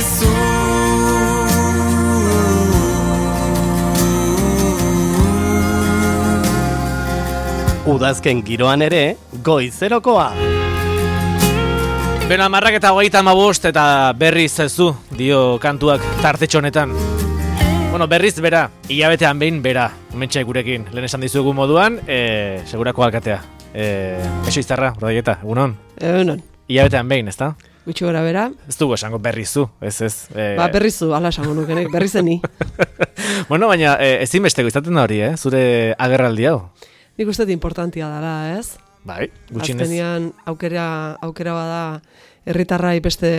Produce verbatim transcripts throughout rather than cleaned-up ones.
dizu. Udazken giroan ere, goizerokoa. Beno, amarrak eta hogeita hamabost eta berriz ez du, dio kantuak tartetxo honetan. Bueno, berriz bera, hilabetean behin bera, mentxe gurekin, lehen esan dizuegu moduan, e, segurako alkatea. E, Eso izarra, rodaieta, egunon? Egunon. Hilabetean behin, ez da? Gutxi gora bera. Ez dugu esango berrizu, ez ez. E... Ba, berrizu, ala esango nukenek, berrizeni. Bueno, baina e, ezinbesteko izaten da hori, eh? Zure agerraldi hau. Nik uste importantia dela, ez? Bai, gutxinez. Azkenean aukera, aukera bada herritarrai beste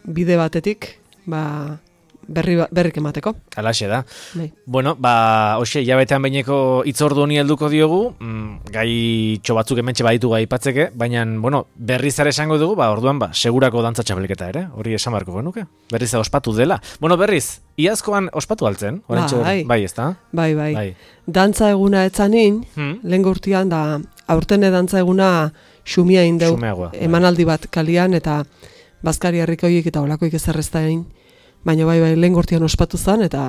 bide batetik, ba, berri, berrik emateko. Alaxe da. Bai. Bueno, ba, hoxe, hilabetean behineko itzordu honi helduko diogu, mm, gai txo batzuk hementxe baditu gai ipatzeke, baina, bueno, berriz ere esango dugu, ba, orduan, ba, segurako dantza txapelketa ere, hori esan barko genuke, berriz ospatu dela. Bueno, berriz, iazkoan ospatu altzen, bai, bai, ez da? Bai, bai, bai. Dantza eguna etzanin, hmm? lehen urtean da, aurtene dantza eguna xumia indeu, emanaldi bat kalian, eta bazkari herrikoiek eta olakoik ezerrezta egin, baina bai, bai, lehen gortian ospatu zen, eta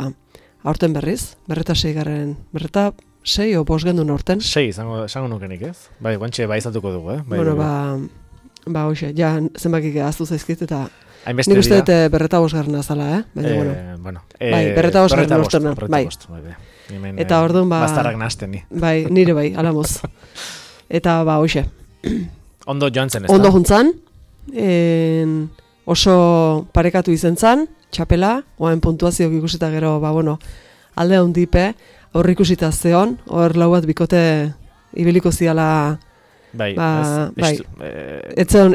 aurten berriz, berreta sei garren, berreta sei o bos gendun aurten. Sei, zango, zango nukenik ez? Bai, guantxe bai izatuko dugu, eh? Bai, bueno, bai, ba, ba, hoxe, ja, zenbakik ahaztu zaizkit, eta nik uste dut berreta bos garrana zala, eh? Baina, eh, bueno, bueno eh, bai, berreta bos garrana urtena, bai. bai. Hemen, eta orduan, ba, bastarrak nasten ni. Bai, nire bai, alamoz. Eta, ba, hoxe. Ondo joan zen, ez da? Ondo juntzan, en, oso parekatu izen zan, txapela, oain puntuazioak ikusita gero, ba, bueno, alde hondipe, aurre ikusita zeon, hor lau bat bikote ibiliko ziala, bai, ba, ez, bai, eh, etzeon,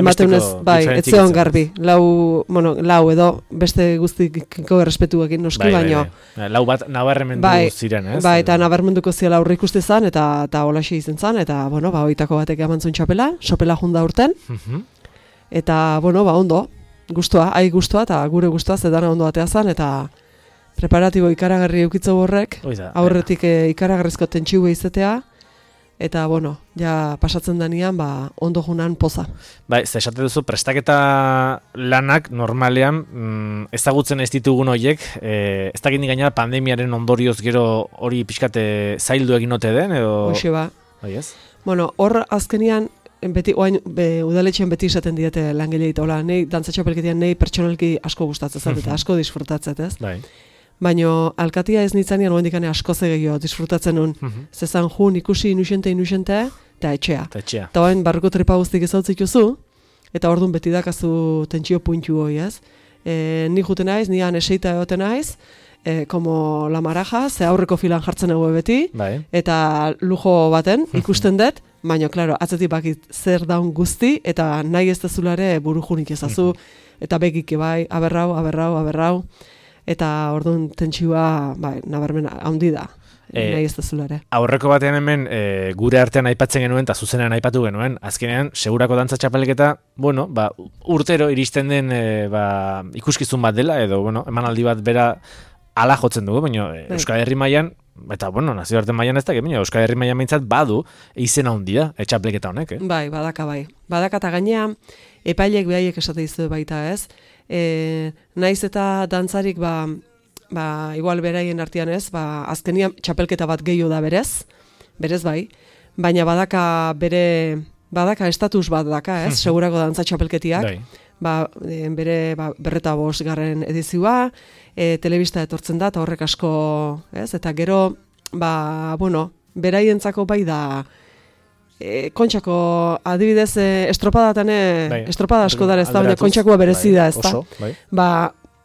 emateunez, bai, etzeon garbi, lau, bueno, lau edo, beste guztiko errespetuekin noski bai, baino. Bai, bai. Lau bat nabarmendu bai, ziren, ez? Bai, eta nabarmenduko ziala aurre ikuste zan, eta, eta holaxe izen zan, eta, bueno, ba, oitako batek emantzun txapela, sopela junda urten, uh-huh. Eta, bueno, ba, ondo, gustua, ai gustua, eta gure gustua zedana ondo atea zan, eta preparatibo ikaragarri eukitzo horrek, aurretik e, ikaragarrizko tentxiu izatea, eta, bueno, ja pasatzen danian, ba, ondo junan poza. Bai, ze esate duzu, prestaketa lanak normalean mm, ezagutzen ez ditugun horiek, e, ez dakit nik gainera pandemiaren ondorioz gero hori pixkate zaildu egin ote den, edo... Hoxe ba. Bai, ez? Bueno, hor azkenian, beti, oain, be, udaletxean beti esaten diete langilei, eta hola, nei dantzatxapelketian nei pertsonalki asko gustatzen eta asko disfrutatzen, ez? Bai. Baina alkatia ez nitzanean oendikane asko zegio disfrutatzen nun. Uh-huh. Zezan jun ikusi inusente inusente, eta etxea. Eta etxea. Eta oain barruko tripa guztik ezautzik juzu, eta orduan beti dakazu tentsio puntu hoi, ez? E, ni juten naiz, nian eseita egoten naiz, e, como la maraja, ze aurreko filan jartzen egu beti, bai. Eta lujo baten ikusten dut, baina, klaro, atzetik bakit zer daun guzti, eta nahi ez dezulare buru junik ezazu, eta begik bai, aberrau, aberrau, aberrau, eta orduan tentsioa, bai, nabarmen handi da, e, nahi ez dezulare. Aurreko batean hemen, e, gure artean aipatzen genuen, eta zuzenean aipatu genuen, azkenean, segurako dantza txapelketa, bueno, ba, urtero iristen den e, ba, ikuskizun bat dela, edo, bueno, emanaldi bat bera ala jotzen dugu, baina e, Euskal Herri mailan, eta, bueno, nazioarte mailan ez da, baina Euskal Herri mailan behintzat badu izena handia, e, txapelketa honek, eh? Bai, badaka bai. Badaka eta gainea, epailek behaiek esate dizu baita, ez? E, naiz eta dantzarik, ba, ba, igual beraien artean ez, ba, azkenian txapelketa bat gehiago da berez, berez bai, baina badaka bere, badaka estatus bat daka, ez? Segurako dantza txapelketiak, ba, e, bere ba, berreta bost garren edizioa, e, telebista etortzen da, eta horrek asko, ez? Eta gero, ba, bueno, beraientzako bai da, E, kontxako adibidez e, estropadatane, bai, estropada asko dara ez da, baina kontxakoa berezi da ez da. Bai. Ba,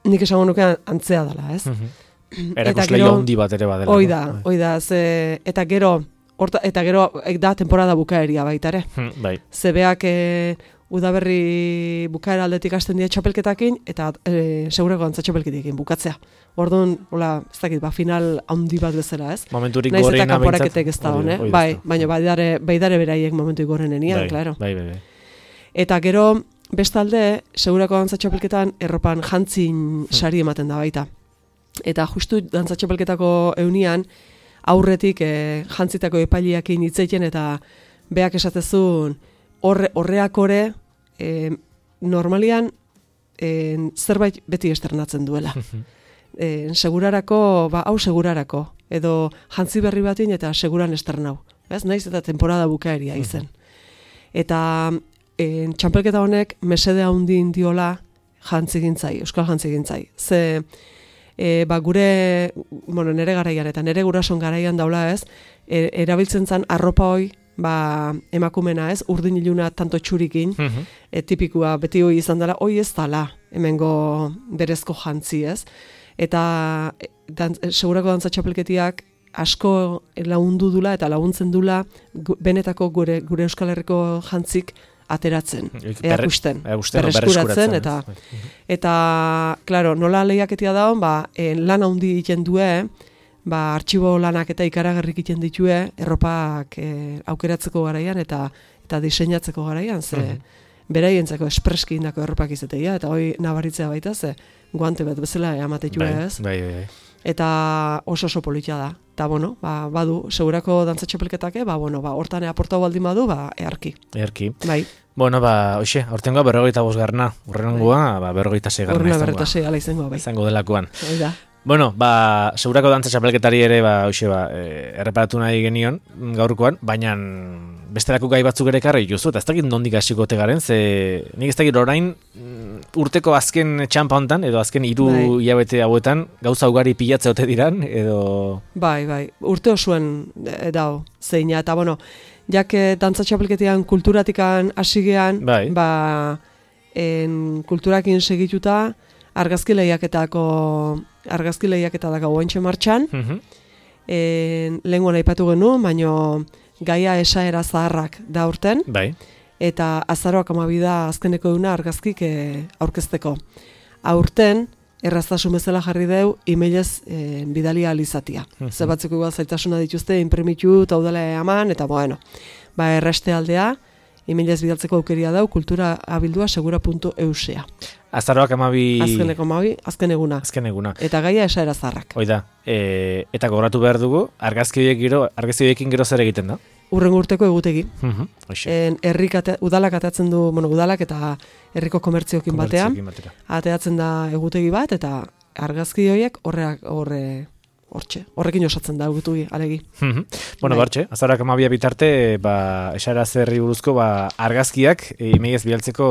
nik esango nukean antzea dela, ez? Uh-huh. Erakusleia handi bat ere badela. Hoi da, hoi da, ze, eta gero, orta, eta gero da temporada bukaeria baita ere. Hmm, bai. Zebeak e, udaberri bukaera aldetik hasten dira txapelketakin, eta e, segurako dantza txapelketekin bukatzea. Orduan, hola, ez dakit, ba, final handi bat bezala, ez? Momenturik gorena behintzat. Naiz eta kanporaketek ez da, hone? Bai, baina baidare, baidare beraiek momentu gorenenian, bai, klaro. Bai, bai, bai. Eta gero, bestalde, segurako dantza txapelketan erropan jantzin sari ematen da baita. Eta justu dantza txapelketako eunian, aurretik e, jantzitako epailiakin hitzeiten eta beak esatezun horre, horreak ore, e, normalian, en, zerbait beti esternatzen duela. En, segurarako, ba, hau segurarako, edo jantzi berri batin eta seguran esternau. Ez, naiz eta temporada bukaeria izen. Eta en, txampelketa honek mesede handi indiola jantzigintzai, euskal jantzigintzai. Ze, e, ba, gure, bueno, nere garaian eta nere gurason garaian daula ez, e, erabiltzen zan arropa hoi, ba, emakumena ez, urdin iluna tanto txurikin, uh-huh. e, tipikua beti hoi izan dela, hoi ez dala, hemengo berezko jantzi ez. Eta dan, segurako dantza txapelketiak asko lagundu dula eta laguntzen dula gu, benetako gure, gure Euskal Herriko jantzik ateratzen, erakusten, berreskuratzen, eta, eta, klaro, nola lehiaketia daun, ba, en, lan handi egiten due, ba, artxibo lanak eta ikaragarrik egiten ditue, erropak e, aukeratzeko garaian, eta eta diseinatzeko garaian, ze, uh-huh. beraientzako espreski indako erropak izateia, eta hoi nabaritzea baita, ze, guante bat bezala amatetue ez. Bai, bai, bai. Eta oso oso politia da. Eta, bueno, ba, badu, segurako dantza txapelketake, ba, bueno, ba, hortan aportau baldin badu, ba, earki. Earki. Bai. Bueno, ba, hoxe, hortengoa berrogeita bosgarna, urrengoa, ba, berrogeita seigarna izangoa. Horrena berrogeita sei ala izangoa, bai. Izango delakoan. Bai da. Bueno, ba, segurako dantza txapelketari ere, ba, hoxe, ba, e, erreparatu nahi genion gaurkoan, baina besterako gai batzuk ere karri juzu, eta ez dakit nondik hasiko ote garen, ze nik ez dakit orain urteko azken txampa hontan, edo azken hiru bai. hilabete hauetan, gauza ugari pilatze ote diran, edo... Bai, bai, urte osuen e, dao, zeina, eta bueno, jak dantza txapelketian kulturatikan hasigean, bai. ba, en, kulturakin segituta, argazki lehiaketako argazki lehiaketako ointxe martxan, uh-huh. en, lehenguan aipatu genuen, baino gaia esaera zaharrak da urten, bai. eta azaroak amabida azkeneko duna argazkik e, aurkezteko. Aurten, erraztasun bezala jarri deu, emailez e, bidalia alizatia. Uh-huh. Ze batzuk igual zaitasuna dituzte, imprimitu, taudela eman, eta bueno, ba, erreste aldea, emailez bidaltzeko aukeria dau, kultura abildua segura puntu eusea. Azaroak amabi... Azkeneko amabi, azken eguna. Azken eguna. Eta gaia esaera zarrak. Oida, e, eta gogoratu behar dugu, argazki horiekin gero zer egiten da? Urrengo urteko egutegi. Uh-huh. En, herrik ate, udalak ateatzen du, bueno, udalak eta herriko komertziokin batean. Ateatzen da egutegi bat, eta argazki horiek horreak horre... Hortxe, horrekin osatzen da, gutugi, alegi. Mm-hmm. Bueno, bartxe, azarak amabia bitarte, ba, esara zerri buruzko, ba, argazkiak, imeiez bialtzeko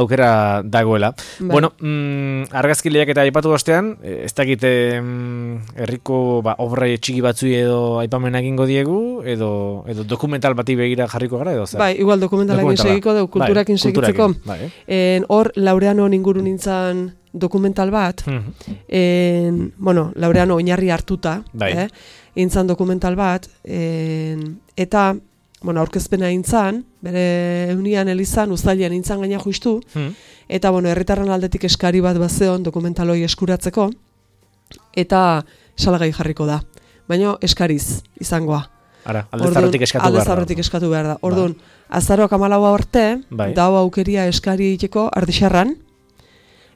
aukera dagoela. Bai. Bueno, mm, argazki lehiak eta aipatu ostean, ez dakit mm, herriko ba, obra txiki batzui edo aipamena egingo diegu, edo, edo dokumental bati begira jarriko gara, edo zer? Bai, igual dokumentalakin segiko, dugu, kulturakin bai, segitzeko. Bai. En, hor, Laureano inguru nintzen dokumental bat, mm-hmm. en, bueno, Laureano oinarri hartuta, bai. eh, intzan dokumental bat, en, eta, bueno, aurkezpena intzan, bere eunian elizan, uztailean intzan gaina justu, mm-hmm. eta, bueno, herritarren aldetik eskari bat bazeon dokumentaloi eskuratzeko, eta salagai jarriko da. Baina eskariz izangoa. Ara, alde zarretik eskatu behar da. Alde zarretik eskatu behar da. Orduan, ba. azaroak amalaua arte, bai. dau aukeria eskari egiteko Ardixarran,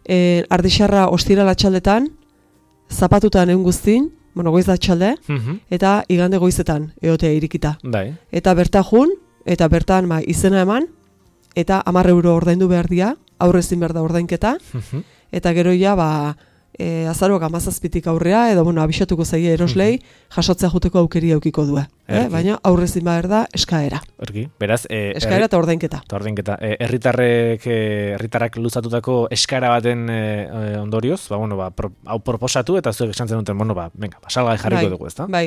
E, Ardixarra ostira latxaldetan, zapatutan egun guztin, bueno, goiz latxalde, uh-huh. eta igande goizetan egotea irikita. Bai. Eta berta jun, eta bertan ba, izena eman, eta hamar euro ordaindu behar dia, aurrezin behar da ordainketa, uh-huh. eta gero ja, ba, e, azaroak amazazpitik aurrea, edo, bueno, abixatuko zaie eroslei, uh-huh. jasotzea juteko aukeria eukiko du. Eh? Baina aurrezin behar da eskaera. Erki, beraz... E, eskaera eta ordainketa. Eta ordainketa. Herritarrek, e, herritarrak luzatutako eskaera baten e, ondorioz, ba, bueno, ba, pro, hau proposatu, eta zuek esan zen duten, bueno, ba, venga, ba, salgai jarriko bai, dugu, ezta? Bai,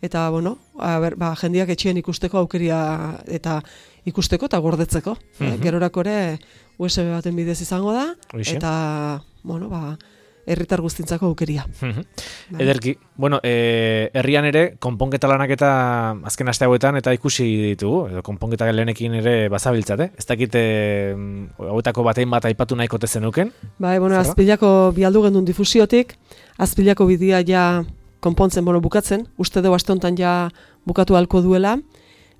eta, bueno, a ber, ba, jendiak etxean ikusteko aukeria, eta ikusteko eta gordetzeko. Uh-huh. eh, gerorako ere, U S B baten bidez izango da, Oixe. eta, bueno, ba... herritar guztintzako aukeria. Uh-huh. Ederki, bueno, e, herrian ere, konponketa lanak eta azken aste hauetan eta ikusi ditugu, edo konponketa lehenekin ere bazabiltzate. Ez dakit hauetako batein bat aipatu nahiko tezenuken? Bai, bueno, Azpilako bialdu gendun difusiotik, Azpilako bidia ja konpontzen, bueno, bukatzen, uste dugu aste honetan ja bukatu halko duela,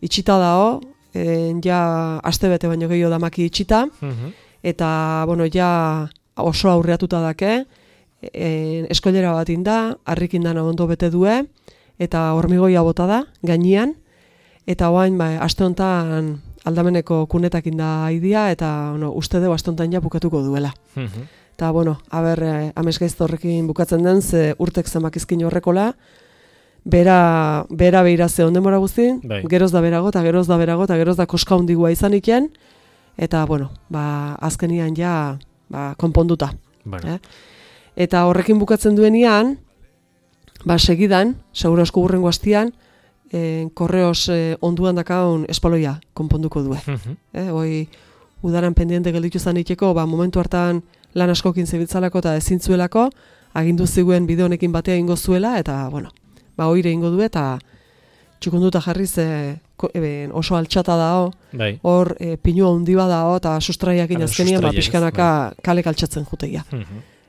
itxita dao, e, ja aste bete baino gehiago damaki itxita, uh-huh. eta, bueno, ja oso aurreatuta dake, E, eskoilera bat inda, harrikin dana ondo bete due, eta hormigoia bota da, gainean, eta oain, ba, aste honetan aldameneko kunetakin da aidia, eta bueno, uste dugu astontan ja bukatuko duela. Eta, bueno, haber, eh, amesgaizto horrekin bukatzen den, ze urtek zenbakizkin horrekola, bera, bera behira ze onden mora guztin, bai. geroz da berago, eta geroz da berago, eta geroz da koska hundigua izan iken, eta, bueno, ba, azkenian ja, ba, konponduta. Bueno. Eh? Eta horrekin bukatzen duenian, ba, segidan, segura asko burrengo hastian, eh, korreos eh, onduan dakaun espaloia konponduko due. eh, hoi, udaran pendiente gelditu zaniteko, ba, momentu hartan lan askokin zebitzalako eta ezintzuelako, agindu ziguen bide honekin batea ingo zuela, eta, bueno, ba, oire ingo du, eta txukunduta jarriz e, e, oso altxata dao, bai. hor e, pinua hundi badao, eta sustraiakin azkenian, ba, pixkanaka bai. kalek altxatzen juteia.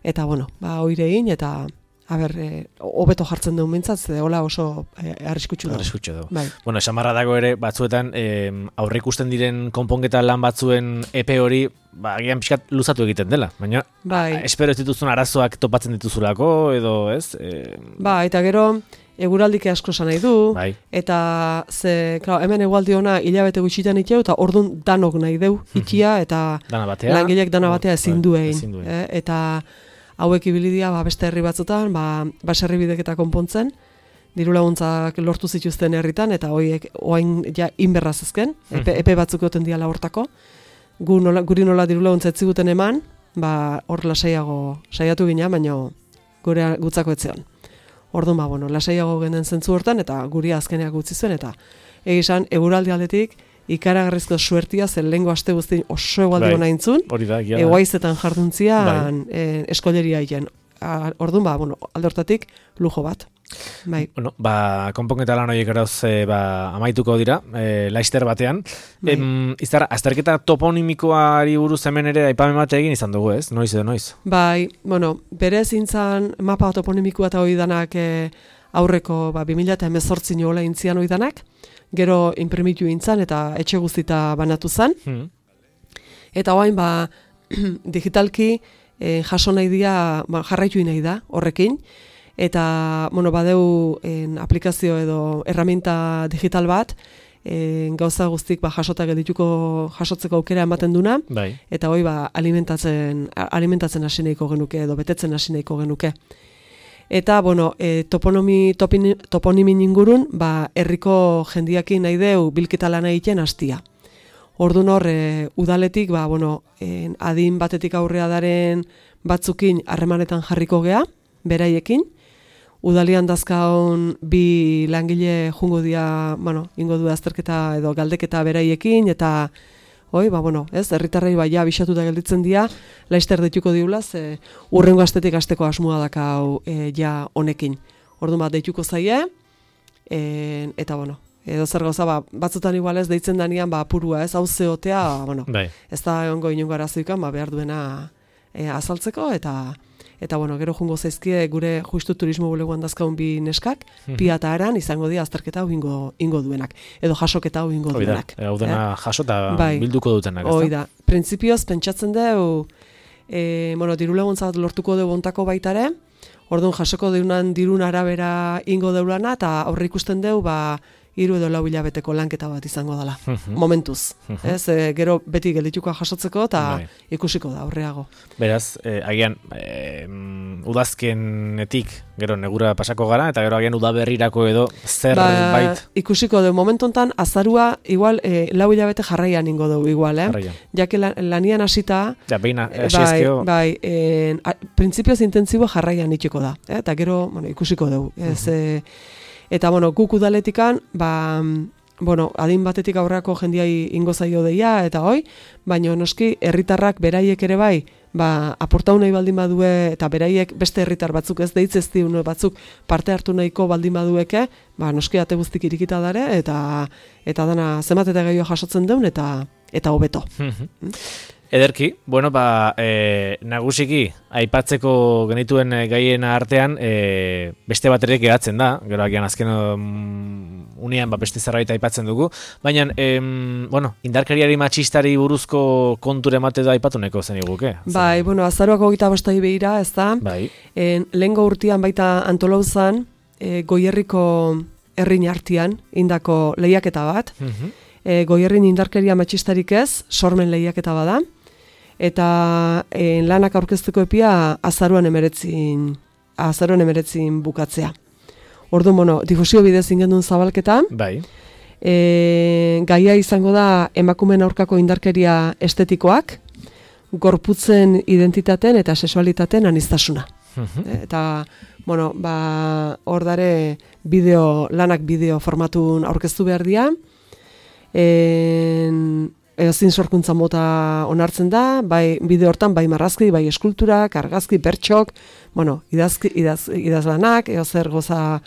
Eta, bueno, ba, oire egin, eta haber, hobeto jartzen duen mintzat, ze hola oso e, arriskutsu dago. Arriskutsu dago. Bai. Bueno, esan barra dago ere, batzuetan, eh, aurre ikusten diren konponketa lan batzuen epe hori, ba, agian pixkat luzatu egiten dela. Baina, bai. a, espero ez dituzun arazoak topatzen dituzulako, edo, ez? E... Ba, eta gero, eguraldike asko esan nahi du, bai. eta ze, klar, hemen egualdi ona hilabete gutxitan itxeu, eta ordun danok nahi deu itxia, eta dana batea, langilek dana batea ezin bai, duein. ezin duen. Eh? Eta hauek ibilidia ba, beste herri batzutan, ba, baserri bideketa konpontzen, diru laguntzak lortu zituzten herritan, eta hoiek oain ja inberraz ezken, epe, epe batzuk goten diala hortako, gu nola, guri nola diru laguntza etziguten eman, ba, hor lasaiago saiatu gina, baina gure gutzako etzeon. Orduan, ba, bueno, lasaiago genen zentzu hortan, eta guri azkeneak utzi zuen, eta egizan, eguraldi aldetik, ikaragarrizko suertia, zen lehengo aste guztin oso egualdi bai. hona intzun, eguaizetan jarduntzian bai. e, eskoleria hien. Orduan, ba, bueno, aldortatik lujo bat. Bai. Bueno, ba, konponketa lan horiek erauz e, ba, amaituko dira, e, laister batean. Bai. Em, izara, azterketa toponimikoari buruz hemen ere aipamen bat egin izan dugu, ez? Noiz edo noiz? Bai, bueno, bere zintzan mapa toponimikoa eta hori danak e, aurreko ba, bi mila hemezortzi nola intzian hori danak, gero imprimitu intzan eta etxe guztita banatu zen. Hmm. Eta hoain, ba, digitalki e, jaso nahi dia, ba, jarraitu nahi da horrekin, eta, bueno, badeu en, aplikazio edo erraminta digital bat, en, gauza guztik ba, jasota geldituko jasotzeko aukera ematen duna, bai. eta hoi ba, alimentatzen, alimentatzen hasi nahiko genuke edo betetzen hasi nahiko genuke. Eta, bueno, e, toponomi, topin, toponimin ingurun, ba, herriko jendiakin nahi deu bilketa lan egiten hastia. Ordun hor, e, udaletik, ba, bueno, en, adin batetik aurrea daren batzukin harremanetan jarriko gea, beraiekin. Udalian dazkaon bi langile jungo dia, bueno, ingo du azterketa edo galdeketa beraiekin, eta hoi, ba, bueno, ez, herritarrei ba, ja, bisatuta gelditzen dira, laister deituko diula, ze urrengo astetik asteko asmoa dakau e, ja honekin. Orduan bat deituko zaie, e, eta, bueno, edo zer gauza, ba, batzutan igual ez deitzen danean, ba, purua, ez, hau zeotea, bueno, bai. Ez da ongo inongo arazoikan, ba, behar duena e, azaltzeko, eta... Eta, bueno, gero jungo zaizkie gure justu turismo bulegoan dazkaun bi neskak, mm-hmm. pia eta aran izango dira azterketa hau ingo, ingo duenak. Edo jasoketa hau ingo duenak. Hau dena eh? jaso eta bai. bilduko dutenak. Hoi da. Printzipioz, pentsatzen dugu, e, bueno, diru laguntza bat lortuko dugu ontako baitare, orduan jasoko deunan dirun arabera ingo deulana, eta aurre ikusten dugu, ba, hiru edo lau hilabeteko lanketa bat izango dela, uh-huh. momentuz. Uh-huh. Ez, e, gero beti geldituko jasotzeko eta bai. Ikusiko da, aurreago. Beraz, eh, agian, eh, udazkenetik, gero negura pasako gara, eta gero agian udaberrirako edo zer ba, bait. Ikusiko du, momentu hontan azarua, igual, e, lau hilabete jarraian ingo dugu, igual, eh? Jarraian. Jake lan, lanian hasita, ja, behin bai, bai, e, printzipioz intentsibo jarraian itxiko da, eh? Eta gero, bueno, ikusiko dugu. Ez, uh-huh. e, Eta, bueno, guk udaletikan, ba, bueno, adin batetik aurrako jendiai ingo zaio deia, eta hoi, baina noski, herritarrak beraiek ere bai, ba, aportau nahi baldin badue, eta beraiek beste herritar batzuk ez deitz ez diun batzuk parte hartu nahiko baldin badueke, ba, noski ate guztik irikita dare, eta eta dana zenbat eta gehiago jasotzen deun, eta eta hobeto. Ederki, bueno, ba, e, nagusiki, aipatzeko genituen gaien artean, e, beste bat ere geratzen da, gero agian azken um, unian ba, beste zerbait aipatzen dugu, baina, em, bueno, indarkeriari matxistari buruzko konture emate da aipatu neko zen iguke? Bai, bueno, azaroako gita bostai behira, ez da? Bai. En, lehengo urtean baita antolauzan, e, goierriko herrin artian, indako lehiaketa bat, uh-huh. e, Goierrin indarkeria matxistarik ez, sormen lehiaketa bada, eta e, lanak aurkezteko epia azaruan emeretzin, azaruan emeretzin bukatzea. Orduan, bueno, difusio bidez ingendun zabalketa, Bai. e, gaia izango da emakumeen aurkako indarkeria estetikoak, gorputzen identitaten eta sexualitaten aniztasuna. Eta, bueno, ba, hor dare bideo, lanak bideo formatun aurkeztu behar dira. En, ezin sorkuntza mota onartzen da, bai bideo hortan, bai marrazki, bai eskulturak, argazki, bertxok, bueno, idazki, idaz, idazlanak, eo zer goza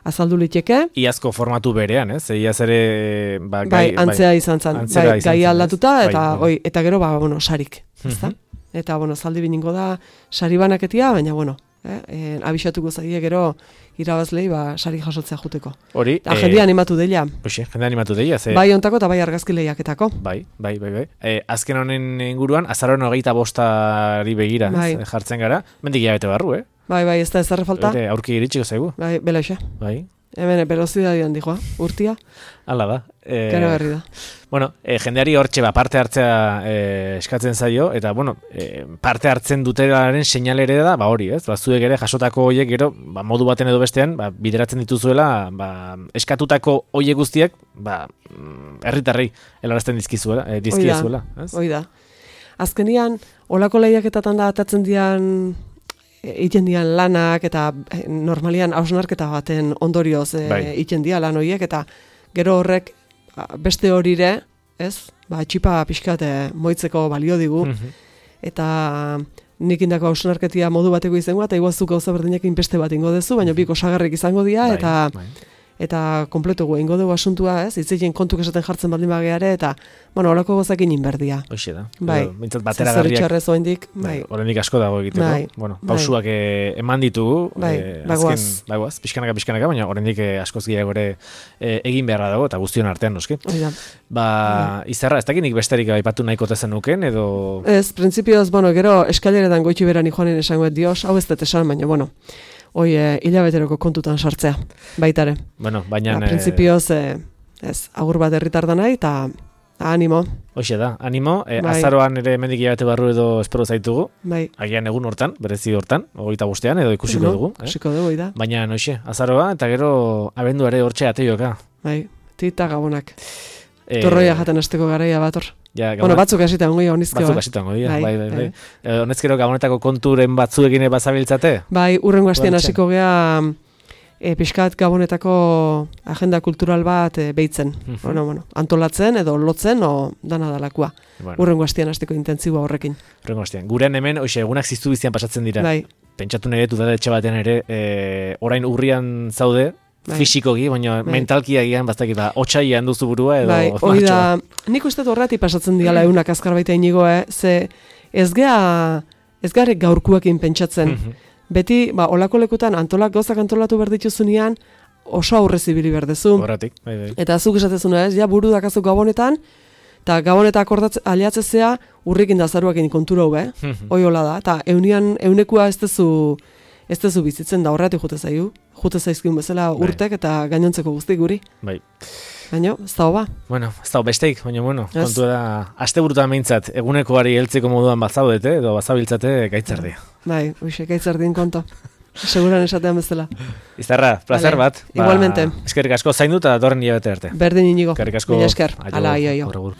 azaldu liteke. Iazko formatu berean, ez? Iaz ere... Ba, gai, bai, antzea bai, izan zen, antzera bai, izan gai zen, aldatuta, ez? eta, Bai, oi, eta gero, ba, bueno, sarik, ezta? Eta, bueno, zaldi biningo da sari banaketia, baina, bueno, eh, eh, abixatuko zaie gero irabazlei, ba, sari jasotzea juteko. Hori... Eta jendea animatu deila. Oxe, jendea animatu deila, ze... Bai ontako eta bai argazki lehiaketako. Bai, bai, bai, bai. E, azken honen inguruan, azaroan hogeita bostari begira, Bai. ez, jartzen gara. Mendik hilabete barru, eh? Bai, bai, ez da ez da falta. Ere, aurki iritsiko zaigu. Bai, belaxe. Bai, Hemen, velozidadian dijoa, urtia, hala da. E, kero berri da. Bueno, e, jendeari hortxe ba, parte hartzea e, eskatzen zaio, eta, bueno, e, parte hartzen dutelaren seinalere da, ba hori, ez? Ba, zuek ere jasotako hoiek gero, ba, modu baten edo bestean, ba, bideratzen dituzuela, ba, eskatutako hoiek guztiak, ba, mm, herritarrei helarazten dizkizuela, e, dizkizuela, ez? Hoi da. Azkenian, olako lehiaketatan da atatzen dian egiten dian lanak eta eh, normalian hausnarketa baten ondorioz eh, Bai. egiten dira lan horiek eta gero horrek a, beste horire, ez? Ba, txipa pixkat eh, moitzeko balio digu Mhm. eta nik indako hausnarketia modu bateko izango eta iguazuk gauza berdinekin beste bat ingo dezu, baina biko osagarrik izango dira Bai, eta bai. eta kompletu gu ingo dugu asuntua, ez? Itzeien kontuk esaten jartzen baldin bageare eta bueno, holako gozakin inberdia. Hoxe da. Bai. Edo, Bintzat bateragarriak. Zerritxarrez oindik, Bai, bai. oraindik asko dago egiteko. Bai, Bueno, bai. pausuak eh, eman ditugu, Bai, eh, bagoaz. azken, bagoaz, pixkanaka pixkanaka, baina oraindik eh, askoz gehiago ere eh, egin beharra dago eta guztion artean noski. Hori da. Ba, Izarra, ez dakit nik besterik aipatu nahiko tezen nuken edo Ez, printzipioz, bueno, gero eskaileretan goitxi beran joanen esango dios, hau ez dut esan, baina, bueno, hoi e, hilabeteroko kontutan sartzea, baitare. bueno, baina Ba, printzipioz, e, ez, agur bat herritar da nahi, eta animo, hoxe da, animo, eh, Bai. azaroan ere hemendik hilabete barru edo espero zaitugu, bai. agian egun hortan, berezi hortan, hogeita bostean edo ikusiko Bueno, dugu, eh? Ikusiko dugu, da. Baina noixe, azaroa eta gero abenduare hortxe ateioka. Bai, tita gabonak. Eh, Torroia jaten asteko garaia bator. ja, Bueno, gabona- batzuk hasita ongoia honizkeo. batzuk eh? hasituango dira, Bai, bai, bai, bai. bai. Eh, honezkero gabonetako konturen batzuekin ere bazabiltzate? Bai, urrengo astean Guantzen. hasiko gea e, pixkat gabonetako agenda kultural bat e, behitzen. Mhm. Bueno, bueno, antolatzen edo lotzen o dana dalakua. Bueno, Urrengo astean hasteko intentsiboa horrekin. urrengo astean. Gurean hemen, hoxe, egunak ziztu biztian pasatzen dira. Bai, Pentsatu nire etxe batean ere, e, orain urrian zaude, Bai. fisikoki, baina Bai. mentalki agian, baztakit, ba, otsaian duzu burua edo... bai, hori da, nik uste dut horretik pasatzen diala eunak azkar baita inigo, eh? Ze ez gea, ez garek gaurkuekin pentsatzen. Mhm. Beti, ba, olako lekutan antolak gauzak antolatu behar dituzunean, oso aurrez ibili behar dezu. Horretik, bai, bai. Eta zuk esatezuna ez, ja buru dakazu gabonetan, eta gaboneta akordatze, aliatzezea urrikin da zaruakin kontura hau, eh? Mhm. Hoi hola da, eta eunian, eunekua ez dezu, ez dezu bizitzen da horretik jute zaigu. Jute zaizkiun bezala Bai. urtek eta gainontzeko guztik guri. Bai. Baina, ez da hoba. Bueno, ez da besteik, baina bueno, Ez. kontua da, aste burutan behintzat, egunekoari heltzeko moduan bazaudete, edo bazabiltzate gaitzerdia. Bai, uixek aitzerdin konto. Seguran esatean bezala. Izarra, placer Vale. bat. Igualmente. Eskerrik asko zaindu eta datorren hilabete arte. Berdin inigo. Eskerrik asko. Mila esker. Aio, Ala, aio, aio. agur, agur.